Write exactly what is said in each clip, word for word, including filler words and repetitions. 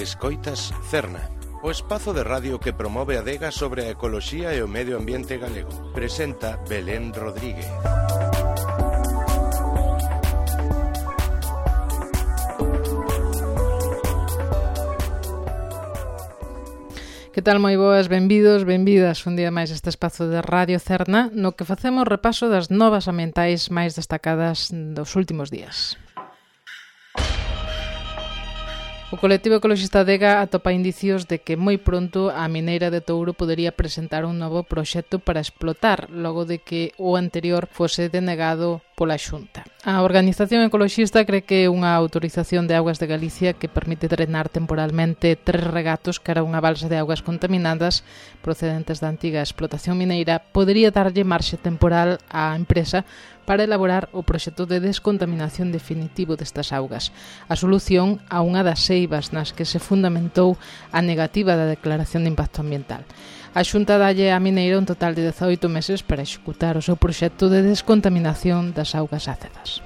Escoitas Cerna, o espazo de radio que promove a adega sobre a ecoloxía e o medio ambiente galego. Presenta Belén Rodríguez. Que tal, moi boas, benvidos, benvidas un día máis a este espazo de Radio Cerna, no que facemos repaso das novas ambientais máis destacadas dos últimos días. O colectivo ecoloxista Adega atopa indicios de que moi pronto a mineira de Touro podería presentar un novo proxecto para explotar, logo de que o anterior fose denegado pola Xunta. A organización ecoloxista cree que unha autorización de augas de Galicia que permite drenar temporalmente tres regatos cara a unha balsa de augas contaminadas procedentes da antiga explotación mineira podería darlle marxe temporal á empresa para elaborar o proxecto de descontaminación definitivo destas augas, a solución a unha das eivas nas que se fundamentou a negativa da declaración de impacto ambiental. A Xunta dalle á mineira un total de dezaoito meses para executar o seu proxecto de descontaminación das augas ácidas.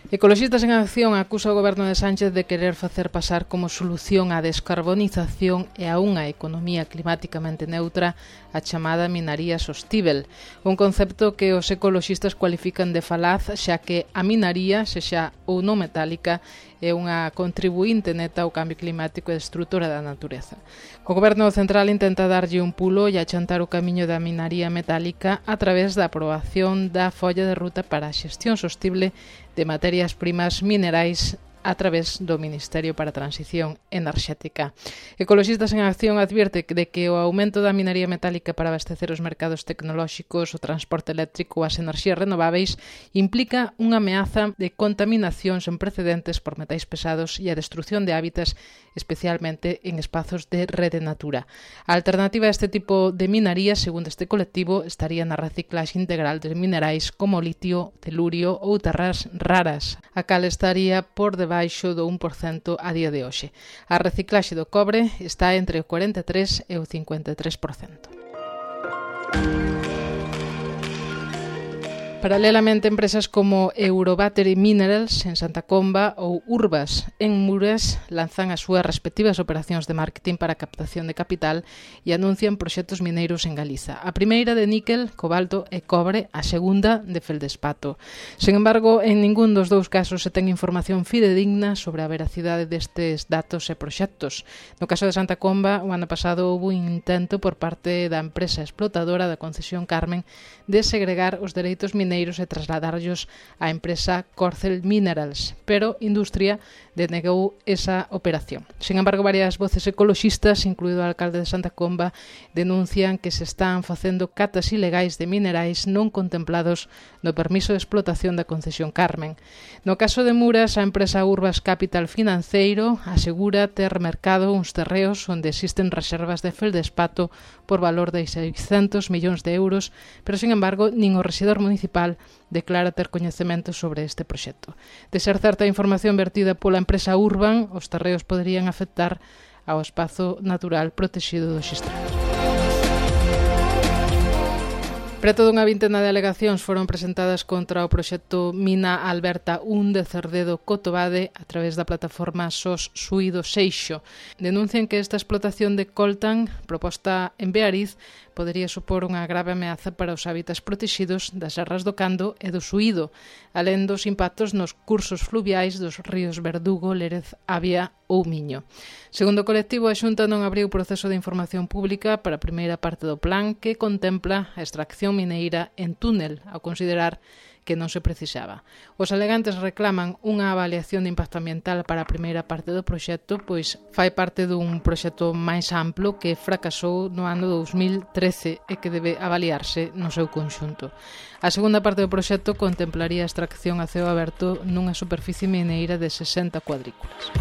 Ecoloxistas en Acción acusa o goberno de Sánchez de querer facer pasar como solución á descarbonización e a unha economía climáticamente neutra a chamada minaría sostíbel, un concepto que os ecoloxistas cualifican de falaz, xa que a minaría, sexa ou non metálica, é unha contribuinte neta ao cambio climático e destrutora da natureza. O goberno central intenta darlle un pulo e achantar o camiño da minaría metálica a través da aprobación da folla de ruta para a xestión sostible de materias primas minerais a través do Ministerio para a Transición Enerxética. Ecoloxistas en Acción advierte de que o aumento da minería metálica para abastecer os mercados tecnolóxicos, o transporte eléctrico ou as enerxías renováveis implica unha ameaza de contaminación sen precedentes por metais pesados e a destrución de hábitats, especialmente en espazos de rede natura. A alternativa a este tipo de minería, segundo este colectivo, estaría na reciclaxe integral de minerais como litio, telurio ou terras raras, a cal estaría por debaixo do un por cento a día de hoxe. A reciclaxe do cobre está entre o cuarenta e tres e o cincuenta e tres por cento. Paralelamente, empresas como Eurobattery Minerals en Santa Comba ou Urbas en Muras lanzan as súas respectivas operacións de marketing para a captación de capital e anuncian proxectos mineiros en Galiza. A primeira de níquel, cobalto e cobre, a segunda de feldespato. Sen embargo, en ningún dos dous casos se ten información fidedigna sobre a veracidade destes datos e proxectos. No caso de Santa Comba, o ano pasado houve un intento por parte da empresa explotadora da concesión Carmen de segregar os dereitos mineiros e trasladarlos á empresa Corcel Minerals, pero Industria denegou esa operación. Sen embargo, varias voces ecoloxistas, incluído o alcalde de Santa Comba, denuncian que se están facendo catas ilegais de minerais non contemplados no permiso de explotación da concesión Carmen. No caso de Muras, a empresa Urbas Capital Financeiro asegura ter mercado uns terreos onde existen reservas de feldespato por valor de seiscentos millóns de euros, pero, sen embargo, nin o rexedor municipal declara ter coñecemento sobre este proxecto. De ser certa a información vertida pola empresa Urban, os terreos poderían afectar ao espazo natural protexido do Xistrado. Preto dunha vintena de alegacións foron presentadas contra o proxecto Mina Alberta un de Cerdedo Cotobade a través da plataforma Sos Suído Seixo. Denuncian que esta explotación de coltan, proposta en Beariz, podería supor unha grave ameaza para os hábitats protexidos das serras do Cando e do Suído, alén dos impactos nos cursos fluviais dos ríos Verdugo, Lérez, Avia ou Miño. Segundo o colectivo, a Xunta non abriu proceso de información pública para a primeira parte do plan que contempla a extracción mineira en túnel, ao considerar que non se precisaba. Os alegantes reclaman unha avaliación de impacto ambiental para a primeira parte do proxecto, pois fai parte dun proxecto máis amplo que fracasou no ano dous mil trece e que debe avaliarse no seu conxunto. A segunda parte do proxecto contemplaría a extracción a ceo aberto nunha superficie mineira de sesenta cuadrículas.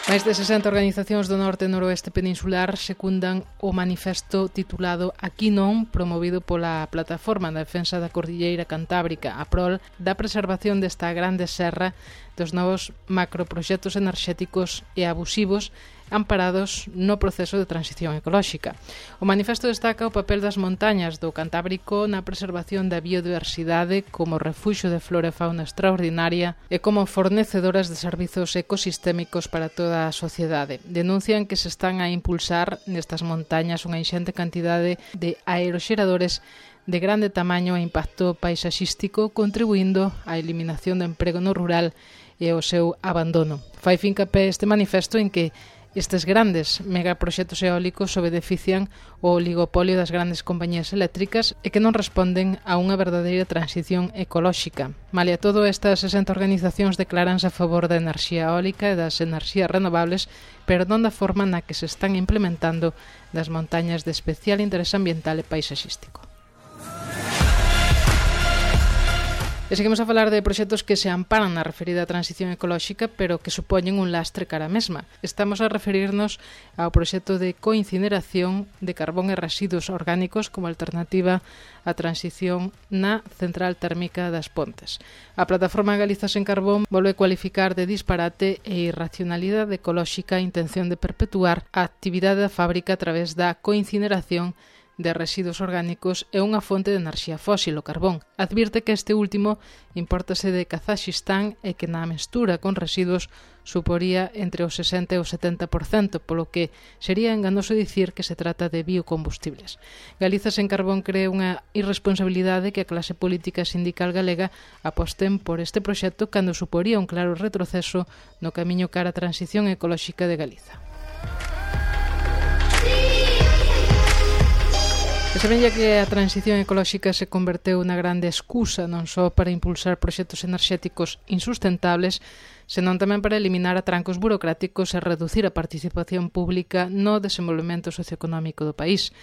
Máis de sesenta organizacións do norte e noroeste peninsular secundan o manifesto titulado Aquí non, promovido pola Plataforma da Defensa da Cordilleira Cantábrica, a PROL, da preservación desta grande serra dos novos macroproxectos enerxéticos e abusivos amparados no proceso de transición ecolóxica. O manifesto destaca o papel das montañas do Cantábrico na preservación da biodiversidade como refuxio de flora e fauna extraordinaria e como fornecedoras de servizos ecosistémicos para toda a sociedade. Denuncian que se están a impulsar nestas montañas unha inxente cantidade de aeroxeradores de grande tamaño e impacto paisaxístico, contribuindo á eliminación do emprego no rural e ao seu abandono. Fai fincapé este manifesto en que estes grandes megaproxectos eólicos benefician o oligopolio das grandes compañías eléctricas e que non responden a unha verdadeira transición ecolóxica. Malia todo, estas sesenta organizacións declaranse a favor da enerxía eólica e das enerxías renovables, pero non da forma na que se están implementando das montañas de especial interés ambiental e paisaxístico. E seguimos a falar de proxectos que se amparan na referida transición ecolóxica, pero que supoñen un lastre cara a mesma. Estamos a referirnos ao proxecto de coincineración de carbón e residuos orgánicos como alternativa á transición na central térmica das Pontes. A plataforma Galiza Sen Carbón volve cualificar de disparate e irracionalidade ecolóxica a intención de perpetuar a actividade da fábrica a través da coincineración de residuos orgánicos e unha fonte de enerxía fósil, o carbón. Advirte que este último impórtase de Kazakhistán e que na mestura con residuos suporía entre o sesenta e o setenta por cento, polo que sería enganoso dicir que se trata de biocombustibles. Galiza Sen Carbón cree unha irresponsabilidade que a clase política sindical galega aposten por este proxecto cando suporía un claro retroceso no camiño cara á transición ecolóxica de Galiza. E semella que a transición ecolóxica se converteu na grande excusa non só para impulsar proxectos enerxéticos insustentables, senón tamén para eliminar atrancos burocráticos e reducir a participación pública no desenvolvemento socioeconómico do país.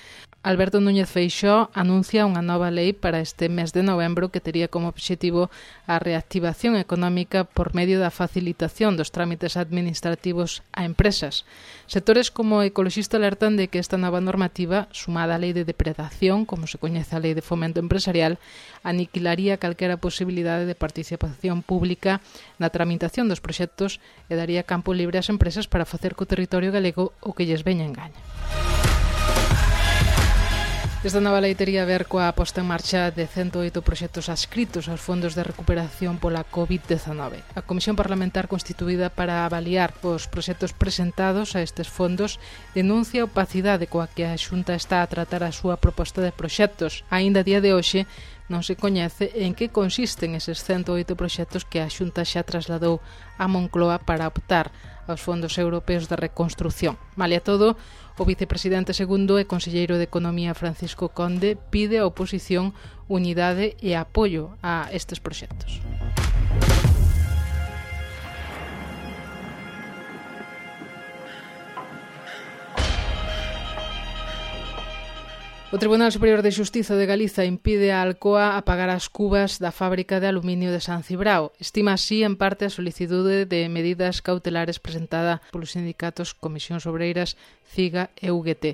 Alberto Núñez Feixóo anuncia unha nova lei para este mes de novembro que tería como obxectivo a reactivación económica por medio da facilitación dos trámites administrativos a empresas. Sectores como ecoloxista alertan de que esta nova normativa, sumada á lei de depredación, como se coñece a lei de fomento empresarial, aniquilaría calquera posibilidade de participación pública na tramitación dos proxectos e daría campo libre ás empresas para facer co territorio galego o que lles veña en gaña. Esta nova lei tería a ver coa posta en marcha de cento oito proxectos adscritos aos fondos de recuperación pola covid dezenove. A Comisión Parlamentar constituída para avaliar os proxectos presentados a estes fondos denuncia a opacidade coa que a Xunta está a tratar a súa proposta de proxectos. Aínda a día de hoxe non se coñece en que consisten eses cento oito proxectos que a Xunta xa trasladou a Moncloa para optar aos fondos europeos de reconstrución. Malia todo, o vicepresidente segundo e conselleiro de Economía Francisco Conde pide á oposición unidade e apoio a estes proxectos. O Tribunal Superior de Xustiza de Galiza impide a Alcoa apagar as cubas da fábrica de aluminio de San Cibrao. Estima así en parte a solicitude de medidas cautelares presentada polos sindicatos Comisións Obreiras, CIGA e U G T.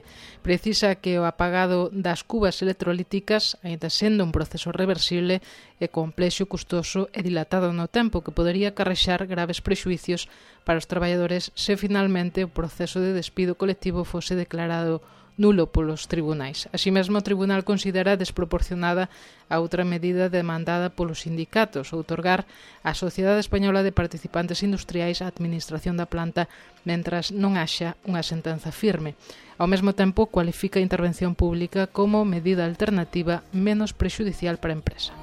Precisa que o apagado das cubas electrolíticas, aínda sendo un proceso reversible, é complexo, custoso e dilatado no tempo que podería acarrexar graves prexuicios para os traballadores se finalmente o proceso de despido colectivo fose declarado nulo polos tribunais. Así mesmo, o tribunal considera desproporcionada a outra medida demandada polos sindicatos, outorgar á Sociedade Española de Participantes Industriais a administración da planta mentras non haxa unha sentenza firme. Ao mesmo tempo, cualifica a intervención pública como medida alternativa menos prexudicial para a empresa.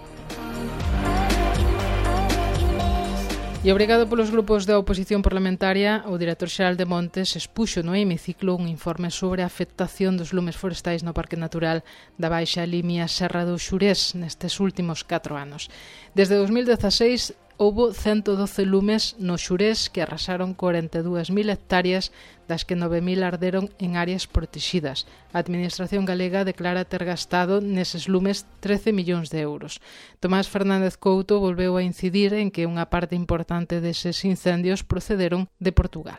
E obrigado polos grupos da oposición parlamentaria, o director xeral de Montes expuxo no hemiciclo un informe sobre a afectación dos lumes forestais no Parque Natural da Baixa Limia Serra do Xurés nestes últimos catro anos. Desde dos mil dezaseis, houbo ciento doce lumes no Xurés que arrasaron corenta e dúas mil hectáreas, das que nove mil arderon en áreas protegidas. A Administración galega declara ter gastado neses lumes trece millóns de euros. Tomás Fernández Couto volveu a incidir en que unha parte importante deses incendios procederon de Portugal.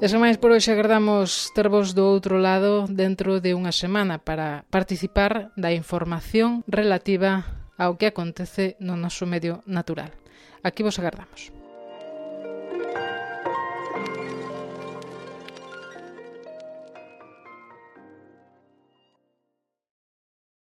E sen máis por hoxe agardamos tervos do outro lado dentro de unha semana para participar da información relativa ao que acontece no noso medio natural. Aquí vos agardamos.